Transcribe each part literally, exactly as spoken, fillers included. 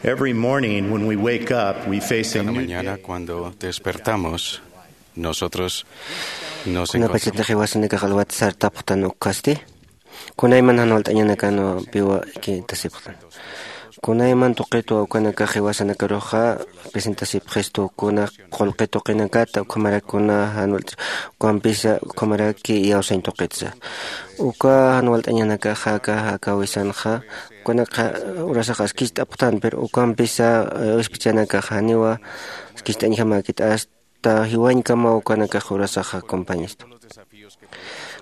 Every morning when we wake up, we face a Cada new mañana day. Cuando despertamos, nosotros nos encontramos. Kunapachatix jiwasanakax alwat sartapxtan ukkasti, kunayman jan walt'añanakan piwa kintasipxtan. Kunayman tuqitwa ukanakax jiwasanakaruxa presentasipxistu kuna qullqi tuqinakata, ukhamaraki kuna jan walt'as, ukampisa ukhamaraki iyawsañ tuqitsa. Uka jan walt'añanakaxa aka, aka wisanxa, ukanakxa urasax askist'apxtan, pero ukampisa, eh, wispichanakax janiwa askist'añjamäkit, hasta jiwañkamaw ukanakax urasaxa compañistu.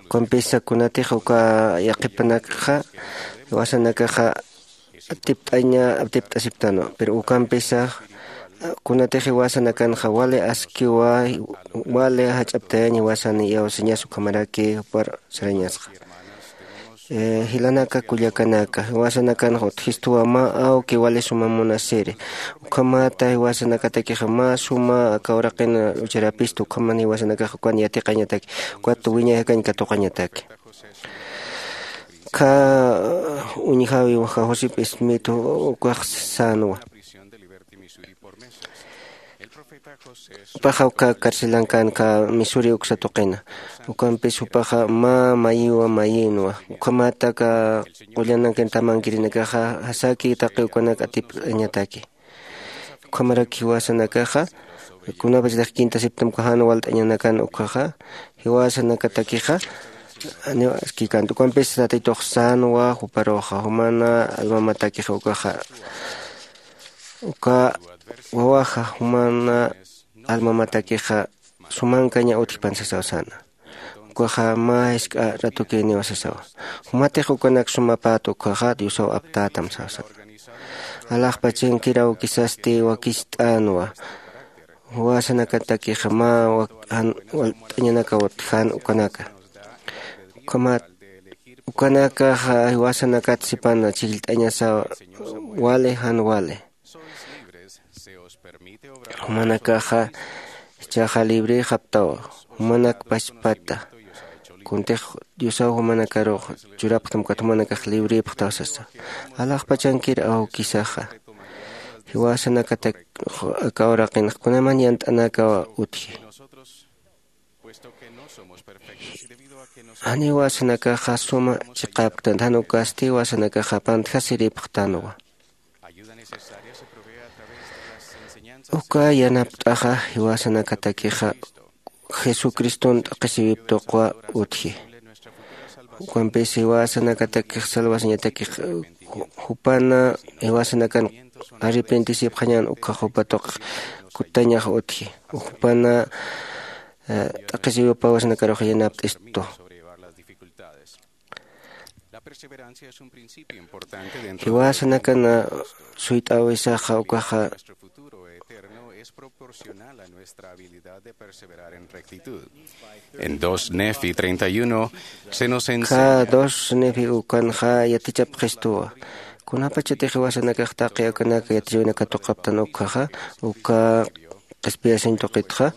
Ukampisa kunatix uka yaqhipanakxa, jiwasanakaxa atipt'aña, atipt'asiptanwa, pero ukampisa kunatix jiwasanakanxa wali askiwa, wali jach'aptayañ jiwasan iyawsañas ukhamaraki jupar sarañasxa. Eh, jilanaka kullakanaka, jiwasanakanxa utjistuwa mä awki wali suma munasiri. Ukhamata jiwasanakatakixa mä suma aka uraqin lucharapistu, ukhaman jiwasanakax ukan yatiqañataki, ukat wiñay jakañ katuqañataki. Kha uñjawi waja Joseph Smith ukax sänwa. Jupaxa uka carcelankan aka Missouri uksa tuqina. Ukampis jupaxa mä mayiwa mayinwa. Ukhamata aka qullanankan tamankirinakaxa jasaki taqi ukanak atipt'añataki. Ukhamaraki jiwasanakaxa, kunapachatix kintasipxtam uka jan walt'añanakan ukkhaxa, jiwasanakatakixa, janiw askïkänti. Ukampis Tatitux sänwa juparuxa, jumana almamatakixa ukaxa, uka wawaxa jumana almamatakixa sumankaña utjpan sasaw säna. Ukaxa mä jisk'a ratukïniwa sasawa. Jumatix ukanak sumapät ukkhaxa Diosaw aptätam sasawa. Alaxpachankir awkisasti wakist'änwa. Jiwasanakatakixa mä wak-, jan walt'añanakaw utjän ukanaka. Ukhamat, ukanakaxa jiwasanakat sipan chhijllt'añasawa wali jan wali. Jumanakaxa jichhaxa librïxapxtawa, jumanak pachpata. Kuntix Diosaw jumanakarux churapxtam ukat jumanakax librïpxtaw sasa. Alaxpachankir awkisaxa, jiwasanakatak aka uraqinx kunayman yant'anakaw utji. Jan jiwasanakaxa suma chiqapktan, jan ukasti jiwasanakaxa pantjasiripxtanwa. Uka yanapt'axa jiwasanakatakixa Jesucriston t'aqhisiwip tuqwa utji. Ukampis jiwasanakatakix salvasañatakix jupana jiwasanakan arrepentisipxañan ukkhax jupa tuqix kutañax utji. Jupana, eh, t'aqhisiwipa jiwasanakarux yanapt'istu. Jiwasanakan suyt'äwisaxa ukaxa En dos Nefi treinta y uno se nos enseña. Ka dos Nefi ukanxa yatichapxistuwa. Kunapachatix jiwasanakax taqi ukanak yatichäwinak katuqapxtan ukkhaxa, uka qhispiyasañ tuqitxa,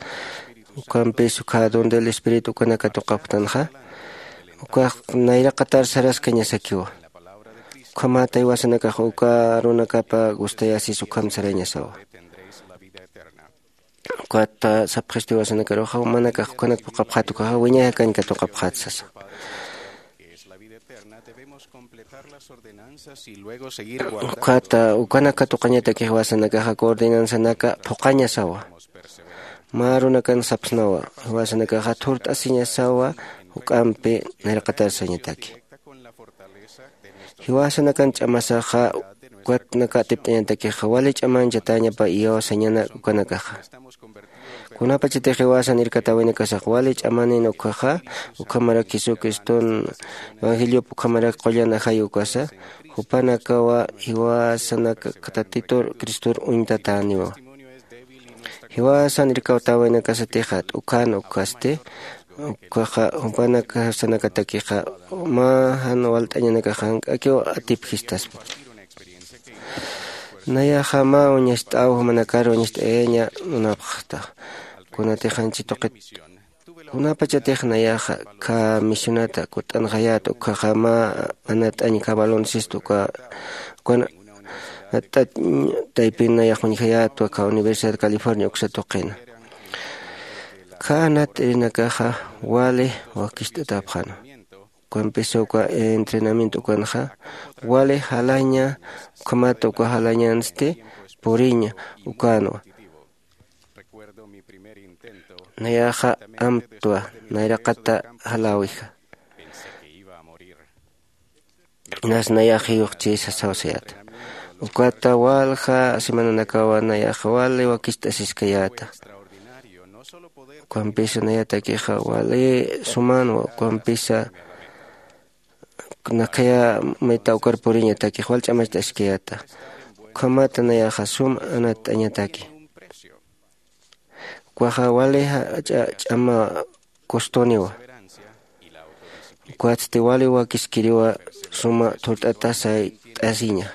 ukampis ukkha don del Espíritu ukanak katuqapxtanxa, ukax nayraqatar saraskañasakiwa. Ukhamata jiwasanakax uka arunakapa gustayasis ukham sarañasawa. Ukata sapxistu jiwasanakaruxa, jumanakax ukanak phuqhapxät ukkhaxa, wiñay jakañ katuqapxät sasa. Ukata ukanak katuqañatakix jiwasanakaxa ordenanzanaka phuqhañasawa. Mä arunakan sapxsnawa, jiwasanakaxa thurt'asiñasawa, juk'ampi nayraqatar sañataki. Jiwasanakan ch'amasaxa, ukatnaka atipt'añatakixa, wali ch'amanchatäñapa iyawsañanak ukanakaxa. Kunapachatix jiwasan irkatäwinakasax wali ch'amanin ukkhaxa, ukhamarak Jesucriston evangeliop ukhamarak qullan ajay ukasa, jupanakawa jiwasanaka Tatitur Cristor uñtatäniwa. Jiwasan irkatäwinakasatixa t'ukhan ukkasti, ukkhaxa jupanakasanakatakixa mä jan walt'añanakax jank'akiw atipjistaspa. Nayaxa mä uñacht'aw jumanakar uñacht'ayaña munapxta. Kunatix janchi tuqit, kunapachatix nayaxa kha misionata kutt'anxayät ukkhaxa mä anat'añ kha baloncesto uka, ukan Taypin nayax uñjayätwa kha Universidad California uksa tuqina. Kha anat t'irinakaxa wali wakicht'atäpxanwa. Ukampisa uka entrenamiento ukanxa wali jalaña, ukhamat uka jalañansti puriña ukänwa. Nayaxa amtwa, nayraqata jaläwija. Inas nayax jiyuxchi sasaw sayäta. Ukata walja semananakawa nayaxa wali wakicht'asiskayäta. Ukampisa nayatakixa wali sumänwa, ukampisa nakhaya mayta ukar puriñatakix wal ch'amacht'askayäta. Ukhamata nayaxa sum anatt'añataki. Ukaxa wali jach'a ch'ama costoniwa. Ukatsti wali wakiskiriwa suma thurt'ata sayt'asiña.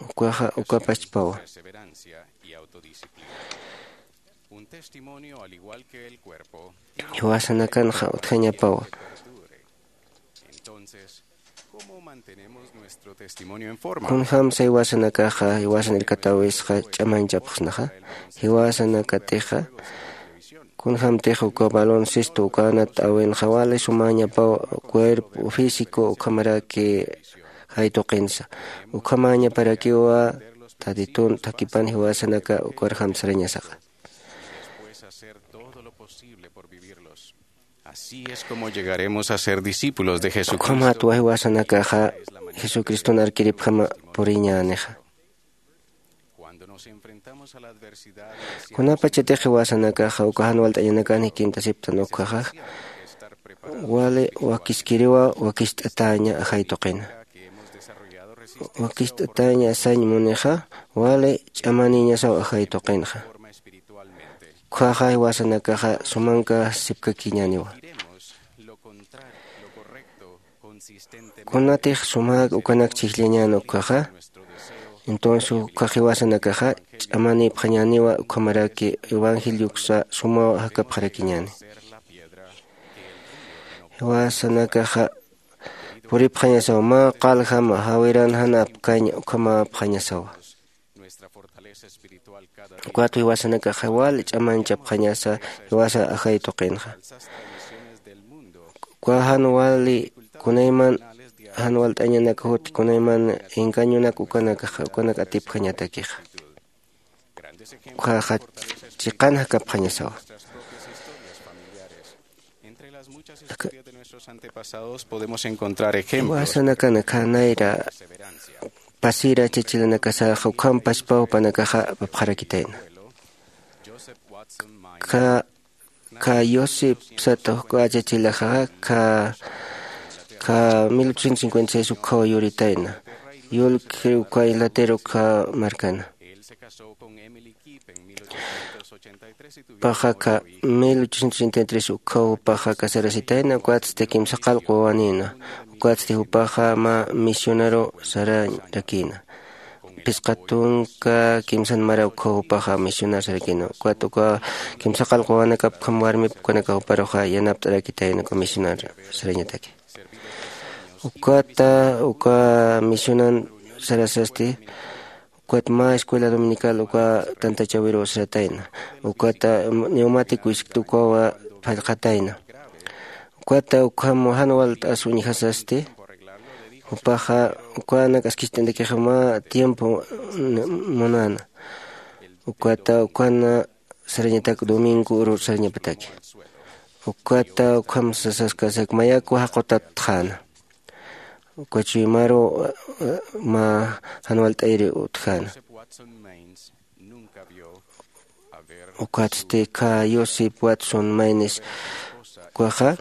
Ukaxa ukapachpawa. Jiwasanakanxa utjañapawa. Kunjämsa jiwasanakaxa jiwasan irkatäwisxa ch'amañchapxsnaxa? Jiwasanakatixa kunjämtix uka baloncesto uka anat t'äwinxa wali sumäñapaw cuerpo físico ukhamaraki jay tuqinsa. Ukhamäñaparakiwa tatitun thakhipan jiwasanaka ukarjam sarañasaxa. Así es como llegaremos a ser discípulos de Jesucristo. Ukhamat wajiwasanakaxa jesucriston arkiripjama puriñänixa. Kunapachatix jiwasanakaxa uka jan walt'añanakan jikint'asiptan ukjaxa wali wakiskiriwa wakicht'atäña ajay tuqina. Wakicht'atäña sañ munixa wali ch'amaniñasaw ajay tuqinxa. Ukhaxa jiwasanakaxa sumanka sipkakiñäniwa. Kunatix sumäk ukanak chhijllañän ukhaxa, entonces ukhax jiwasanakaxa ch'amanïpxañäniwa ukhamaraki evangelioksa sumaw jakapxarakiñäni. Jiwasanakaxa puripxañasaw mä qaljama jawiran jan apkañ ukhamäpxañasawa. Ukat jiwasanakaxa wal ch'amañchapxañasa jiwasa ajay tuqinxa. Uka jan wali kunayman jan walt'añanak juti kunayman engañonak ukanakaxa ukanak atipjañatakixa. Ukhaxa chiqan jakapxañasawa. Entre las muchas historias de nuestros antepasados podemos encontrar ejemplos. Jiwasanakan akha nayra pasira chachilanakasaxa ukham paspaw jupanakaxa apapxarakitayna. Joseph Watson Maynes, ka ka Joseph sata juk achachilaxaxa ka ka mil ochocientos cincuenta y seis ukhaw yuritayna. Yulk uka Inglaterra ukha markana. Paxa ka mil ochocientos ochenta y tres ukhaw paxa casarasitayna, ukatsti kimsa qallq wawanïna. Ukatsti jupaxa mä misionaru sararakïna. Phisqa tunka kimsan mara ukhaw jupaxa misionar sarakïna. Ukat uka kimsa qallq wawanakap ukham warmip ukanaka juparuxa yanapt'arakitayna uka misionar sarañataki. Ukata uka misionan sarasasti ukat mä escuela dominical uka tantachawiru saratayna. Ukata neumático iskta ukawa phallqatayna. Ukata ukham jan walt'as uñjasasti jupaxa ukanak askicht'antakix mä tiempo munäna. Ukata ukana sarañatak domingo uru sarañapataki. Ukata ukham sasaskasak mayaku jaqutatxäna. Uka chuymaru mä jan walt'ayri utjäna. Ukatsti ka Joseph Watson Maynes ukaxa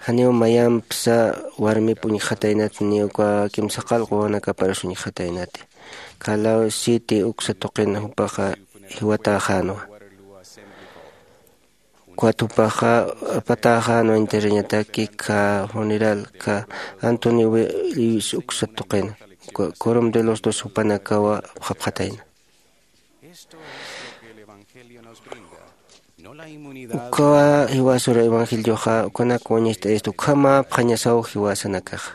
janiw mayampsa warmip uñjxataynat ni uka kimsa qallq wawanakaparus uñjxataynati. Ka Law City uksa tuqin jupaxa jiwatäxänwa. Ukat jupaxa apatäxänwa enterrañataki ka funeral ka Anthony Lewis uksa tuqin, uka Quorum de los Doce jupanakawa apxapxatayna. Ukawa jiwasur evangelioxa ukanak wañacht'ayasta ukhamäpxañasaw jiwasanakaxa.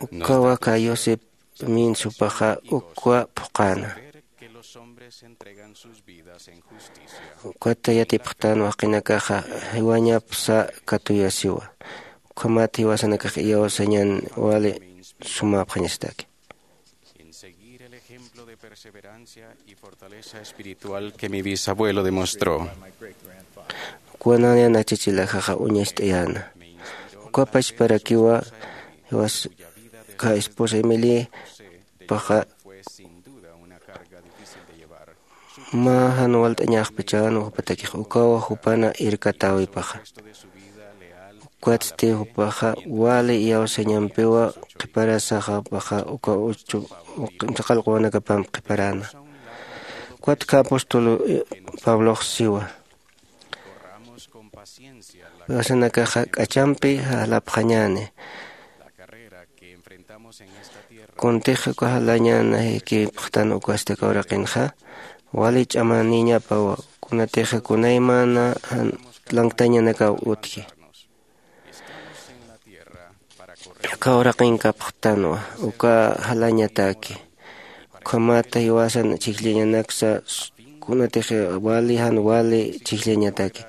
Ukawa aka Joseph Mintz jupaxa ukwa phuqäna. Ukat yatipxtan waqinakaxa jiwañapsa katuyasiwa. Ukhamat jiwasanakax iyawsañan wali sumäpxañasataki. En seguir el ejemplo de perseverancia y fortaleza espiritual que mi bisabuelo demostró. Ukwa nayan achachilaxaxa uñacht'ayäna. Uka pachparakiwa jiwas ka esposa Emily paxa mä jan walt'añaxpachan jupatakix ukawa jupana irkatäwipaxa. Ukatsti jupaxa wali iyawsañampiwa qhiparasaxapaxa uka uchu saqallq'uwanakapamp qhiparäna. Ukat ka apóstol pablox siwa, jiwasanakaxa k'achampi jalapxañäni. Kuntix uka jalañäna jikipxtan ukasti aka uraqinxa wali ch'amanïñapawa. Kunatixa kunaymana jan lanktañanakaw utji. Aka uraqinkapxtanwa uka jalañataki. Ukhamat jiwasan chhijllañanaksa kunatix wali jan wali chhijllañataki.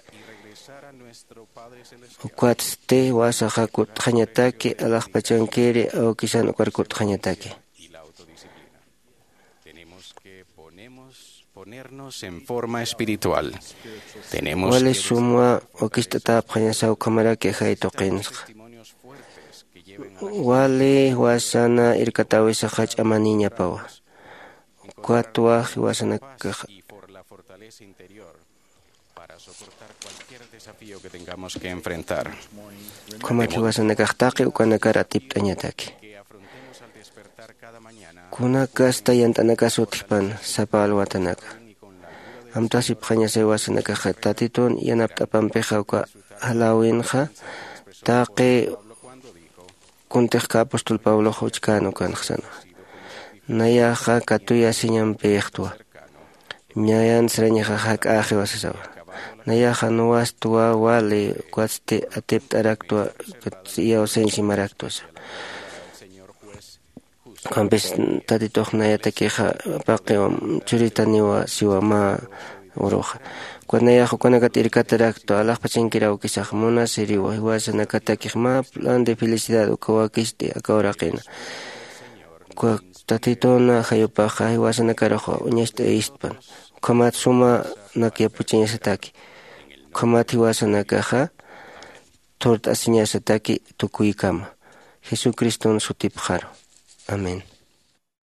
Ukatsti jiwasaxa kutt'xañataki alaxpachankiri awkisan ukar kutt'xañataki. Tenemos que ponemos- ponernos en forma espiritual. Tenemos wali sumwa wakicht'atäpxañasa ukhamaraki ajay tuqinsxa. Wali jiwasana irkatäwisaxa ch'amanïñapawa. Ukatwa jiwasanakaxa para soportar cualquier desafío que tengamos que enfrentar. Ukhamat jiwasanakax taqi ukanakar atipt'añataki. Kunakasta yant'anakas utjpan sapa alwatanaka. Amtasipxañasa jiwasanakaxa tatitun yanapt'apampixa uka jaläwinxa taqi kuntix ka apóstol pablox uchkän ukanxsanwa. Nayaxa katuyasiñampïxtwa. Ñayan sarañaxa jak'äxiwa sasawa. Nayaxa nuwastwa wali ukatsti atipt'araktwa iyawsañ simaraktwa sa. Ukampis tatitux nayatakixa paqiw churitaniwa siwa mä uruxa. Ukat nayax ukanakat irkataraktwa alaxpachankir awkisax munasiriwa jiwasanakatakix mä plan de felicidad uka wakicht'i aka uraqina. Uka tatituna jayupaxa jiwasanakaruxa uñacht'ayistpan. Ukhamat suma nak yapuchañasataki. Ukhamat jiwasanakaxa thurt'asiñasataki tukuykama. Jesucriston sutipxaru. Amén.